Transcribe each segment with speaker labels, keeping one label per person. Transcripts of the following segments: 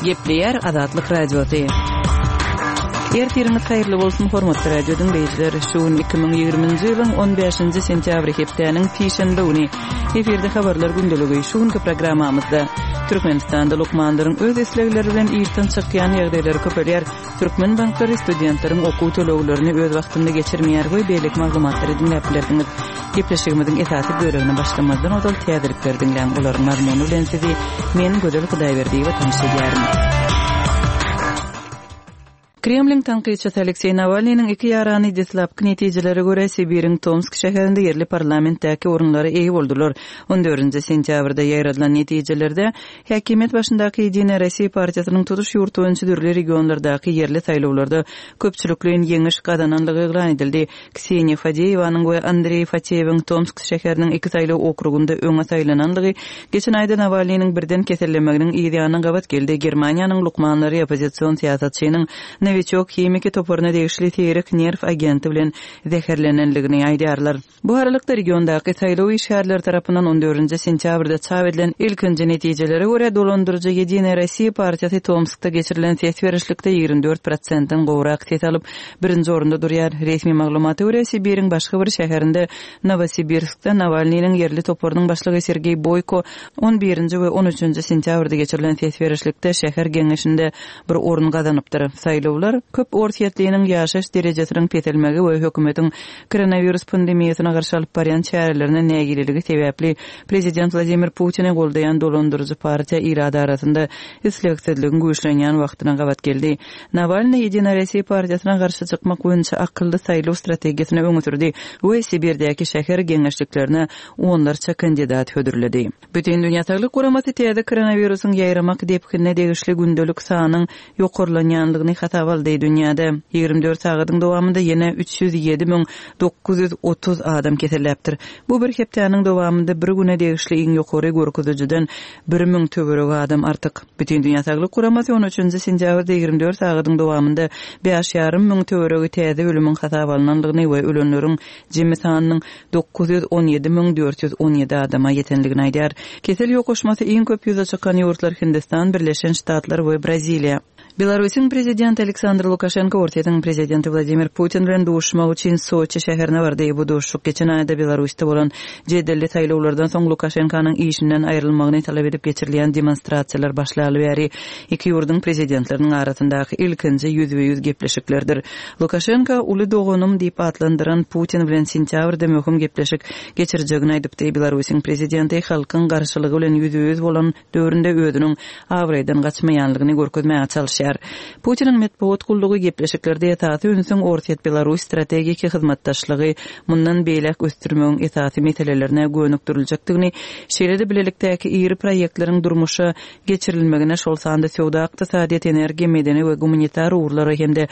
Speaker 1: Gepleýär Azatlyk Radiosy. Ertiriňiz haýyrly bolsun, hormatly radio diňleýjiler! Şu gün 2020-nji ýylyň 15-nji sentýabry hepdäniň sişenbe güni. Efirde habarlar gündeligi. Şu günki programmamyzda Türkmenistanda lukmanlaryň öz islegleri bilen işden çykýan ýagdaýlary köpelýär. Türkmen banklary studentleriň okuw töleglerini öz wagtynda geçirmeýär we beýleki maglumatlary diňläp bilersiňiz. Gepleşigimiziň esasy bölegine başlamazdan ozal täzelikleri diňläň, olaryň mazmuny bilen sizi men, Gözel Hudaýberdiýewa tanyş edýärin. Kremliň tankytçysy Alekseý Nawalnynyň iki ýarany deslapky netijelere görä Sibiriň Tomsk şäherinde ýerli parlamentdäki orunlara eýe boldular. On dördünji sentýabrda ýaýradylan netijelerde Häkimiýet başyndaky Ýedinaýa Rossiýa partiýasynyň tutuş ýurt boýunça dürli regionlardaky ýerli saýlawlarda köpçülikleýin ýeňiş gazananlygy yglan edildi. Kseniýa Fadeýewanyň we Andreý Fateýewiň Tomsk şäheriniň iki saýlaw okrugynda öňe saýlananlygy geçen aýda Nawalnynyň birden kesellemeginiň yz ýanyna gabat geldi. Germaniýanyň lukmanlary oppozision syýasatçynyň Nowiçok himiki toparyna degişli seýrek nerw agenti bilen zäherlenenligini aýdýarlar. Bu aralykda, regiondaky saýlaw işgärleri tarapyndan on dördünji sentýabrda çap edilen ilkinji netijelere görä, dolandyryjy Ýedinaýa Rossiýa partiýasy Tomskda geçirilen ses berişlikde 24 prosentden gowrak ses alyp, birinji orunda durýar. Resmi maglumata görä, Sibiriň başga bir şäherinde, Nowosibirskde Nawalnynyň ýerli toparynyň başlygy Sergeý Boýko on birinji we on üçünji sentýabrda geçirilen ses berişlikde şäher geňeşinde bir orun gazanypdyr. Saýlawlar köp orsýetliniň ýaşaýyş derejesiniň peselmegi we hökümetiň Koronawirus pandemiýasyna garşy alyp barýan çärelerine nägileligi sebäpli prezident Wladimir Putini goldaýan dolandyryjy partiýa ilat arasynda islegsizligiň güýçlenýän wagtyna gabat geldi. Nawalnyý Ýedinaýa Rossiýa partiýasyna garşy çykmak boýunça akylly saýlaw strategiýasyny öňe sürdi we Sibirdäki şäher geňeşliklerine onlarça kandidat hödürledi. Bütindünýä Saglyk Guramasy täze koronawirusyň ýaýramak depginine degişli gündelik sanyň ýokarlanýandygyny hasaba aldy. Dünýäde 24 sagadyň dowamynda ýene 307 930 adam keselläpdir. Bu bir hepdäniň dowamynda bir güne degişli iň ýokary görkezijiden 1000 töweregi adam artyk. Bütindünýä Saglyk Guramasy on üçünji sentýabrda 24 sagadyň dowamynda bäş ýarym müň töweregi täze ölümiň hasaba alnandygyny we ölenleriň jemi sanynyň 917 417 adama ýetendigini aýdýar. Kesel ýokaşmasy iň köp ýüze çykan ýurtlar Hindistan, Birleşen Ştatlar we Braziliýa. Belarusyň Prezidenti Aleksandr Lukaşenko Orsýetiň Prezidenti Wladimir Putin bilen duşuşmak üçin Soçi şäherine bardy. Bu duşuşyk geçen aýda Belarusda bolan jedelli saýlawlardan soň Lukaşenkanyň işinden aýrylmagyny talap edip geçirilýän demonstrasiýalar başlaly bäri iki ýurduň prezidentleriniň arasyndaky ilkinji ýüzbe-ýüz gepleşiklerdir. Lukaşenko uly doganym diýip atlandyran Putin bilen sentýabrda möhüm gepleşik geçirjegini aýdypdy. Belarusyň prezidenti halkyň garşylygy bilen ýüzbe-ýüz bolan döwründe özüniň abraýdan gaçmaýanlygyny görkezmäge çalyşýar. Putiniň metbugat gullugy gepleşiklerde esasy ünsüň Orsýet-Belarus strategiki hyzmatdaşlygy mundan beýläk ösdürmegiň esasy meselelerine gönükdiriljekdigini, şeýle-de bilelikdäki iri proýektleriň durmuşa geçirilmegine, şol sanda söwda-ykdysadyýet, energiýa, medeni we gumanitar ugurlara hem-de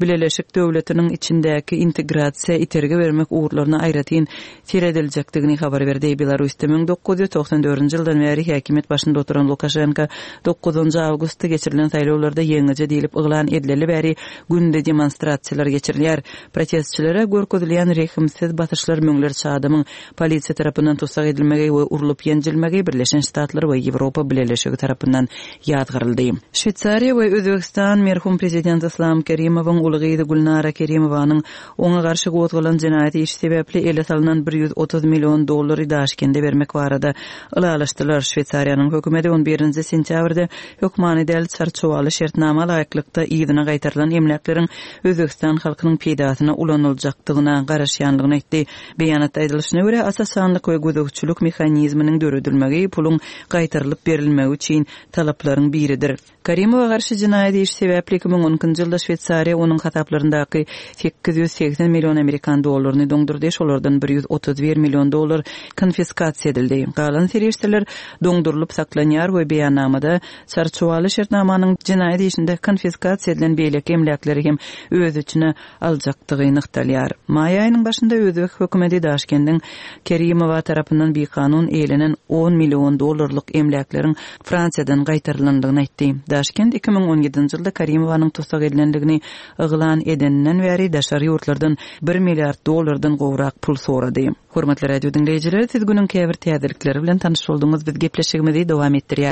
Speaker 1: Bileleşik döwletiniň içindäki integrasiýa itergi bermek ugurlaryna aýratyn serediljekdigini habar berdi. Belarusda 1994-nji ýyldan bäri häkimiýet başynda oturan Lukaşenko dokuzynjy awgustda geçirilen saýlawlarda ýeňiji diýlip yglan edileli bäri günde demonstrasiýalar geçirilýär. Protestçilere görkezilýän rehimsiz basyşlar müňlerçe adamyň Polisiýa tarapyndan tussag edilmegi we urlup-ýenjilmegi Birleşen Ştatlar we Ýewropa Bileleşigi tarapyndan ýazgaryldy. Şweýsariýa we Özbegistan merhum prezident Yslam Kerimowyň uly gyzy Gülnara Kerimowanyň oňa garşy gozgalan jenaýat işi sebäpli ele salnan 130 million dollary Daşkende bermek barada ylalaşdylar. Şweýsariýanyň hökümeti on birinji sentýabrda hökmany däl çarçuwaly şertnama laýyklykda yzyna gaýtarylan emläkleriň Özbegistan halkynyň peýdasyna ulanyljakdygyna garaşýanlygyny aýtdy. Beýanatda aýdylyşyna görä, aç-açanlyk we gözegçilik mehanizminiň döredilmegi puluň gaýtarylyp berilmegi üçin talaplaryň biridir. Karimowa garşy jenaýat işi sebäpli 2012-nji ýylda Şweýsariýa onuň hasaplaryndaky 880 million amerikan dollaryny doňdurdy, şolardan 131 million dollar konfiskasiýa edildi. Galan serişdeler doňdurylyp saklanýar we beýannamada çarçuwaly şertnamanyň jenaýat işinde konfiskasiýa edilen beýleki emläkleri hem öz içine aljakdygy nygtalýar. Maý aýynyň başynda özbek hökümeti Daşkendiň Kerimowa tarapyndan bikanun eýelenen on million dollarlyk emläkleriň Fransiýadan gaýtarylandygyny aýtdy. Daşkent 2017-nji ýylda Karimowanyň tussag edilendigini yglan edeninden bäri daşary ýurtlardan bir milliard dollardan gowrak pul sorady. Hormatly radio diňleýjiler, siz günüň käbir täzelikleri bilen tanyş bolduňyz. Biz gepleşigimizi dowam etdirýäris.